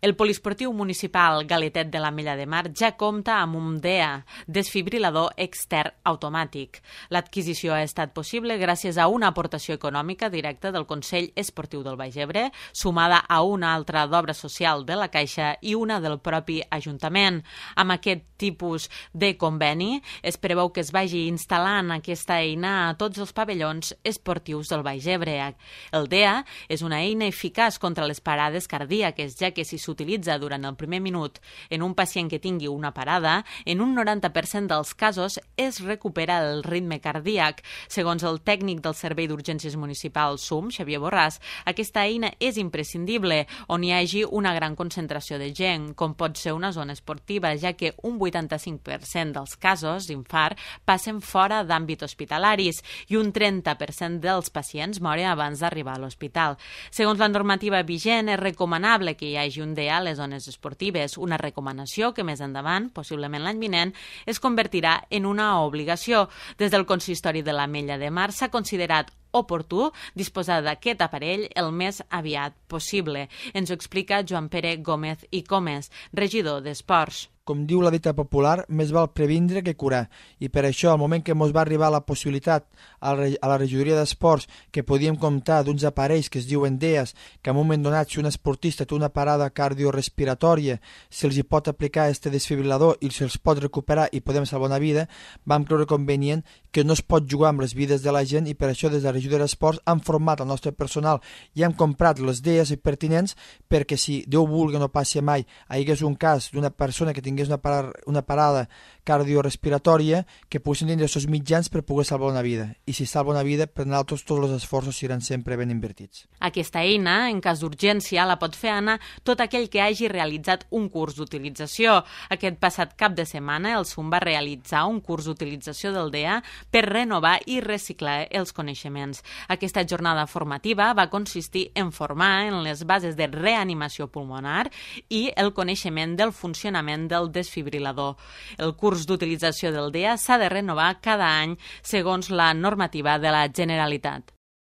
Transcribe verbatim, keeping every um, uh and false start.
El poliesportiu municipal Galetet de l'Ametlla de Mar ja compta amb un D E A, desfibrilador extern automàtic. L'adquisició ha estat possible gràcies a una aportació econòmica directa del Consell Esportiu del Baix Ebre, sumada a una altra d'obra social de la Caixa i una del propi Ajuntament. Amb aquest tipus de conveni es preveu que es vagi instal·lant aquesta eina a tots els pavellons esportius del Baix Ebre. El D E A és una eina eficaç contra les parades cardíaques, ja que si s'utilitza durant el primer minut en un pacient que tingui una parada, en un noranta per cent dels casos es recupera el ritme cardíac. Segons el tècnic del Servei d'Urgències Municipal S U M, Xavier Borràs, aquesta eina és imprescindible on hi hagi una gran concentració de gent, com pot ser una zona esportiva, ja que un vuitanta-cinc per cent dels casos d'infart passen fora d'àmbit hospitalaris i un trenta per cent dels pacients moren abans d'arribar a l'hospital. Segons la normativa vigent, és recomanable que hi hagi un D E A a les zones esportives, una recomanació que més endavant, possiblement l'any vinent, es convertirà en una obligació. Des del Consistori de l'Ametlla de Mar s'ha considerat oportú disposar d'aquest aparell el més aviat possible. Ens ho explica Joan Pere Gómez i Comes, regidor d'Esports. Com diu la dita popular, més val previndre que curar. I per això, al moment que ens va arribar la possibilitat a la regidoria d'Esports que podíem comptar d'uns aparells que es diuen D E As, que en un moment donat, si un esportista té una parada cardiorespiratòria, se'ls hi pot aplicar este desfibrilador i se'ls pot recuperar i podem salvar una vida, vam creure convenient que no es pot jugar amb les vides de la gent i per això des de la regidoria d'Esports hem format el nostre personal i hem comprat les D E As pertinents perquè si Déu vulgui no passi mai, hi hagués un cas d'una persona que tingués una, par una parada cardiorespiratòria que poguessin tindre els mitjans per poder salvar una vida. I si salva una vida, per nosaltres tots els esforços seran sempre ben invertits. Aquesta eina, en cas d'urgència, la pot fer anar tot aquell que hagi realitzat un curs d'utilització. Aquest passat cap de setmana, el S U M va realitzar un curs d'utilització del D E A per renovar i reciclar els coneixements. Aquesta jornada formativa va consistir en formar en les bases de reanimació pulmonar i el coneixement del funcionament del desfibrilador. El curs d'utilització del D E A s'ha de renovar cada any segons la normativa de la Generalitat.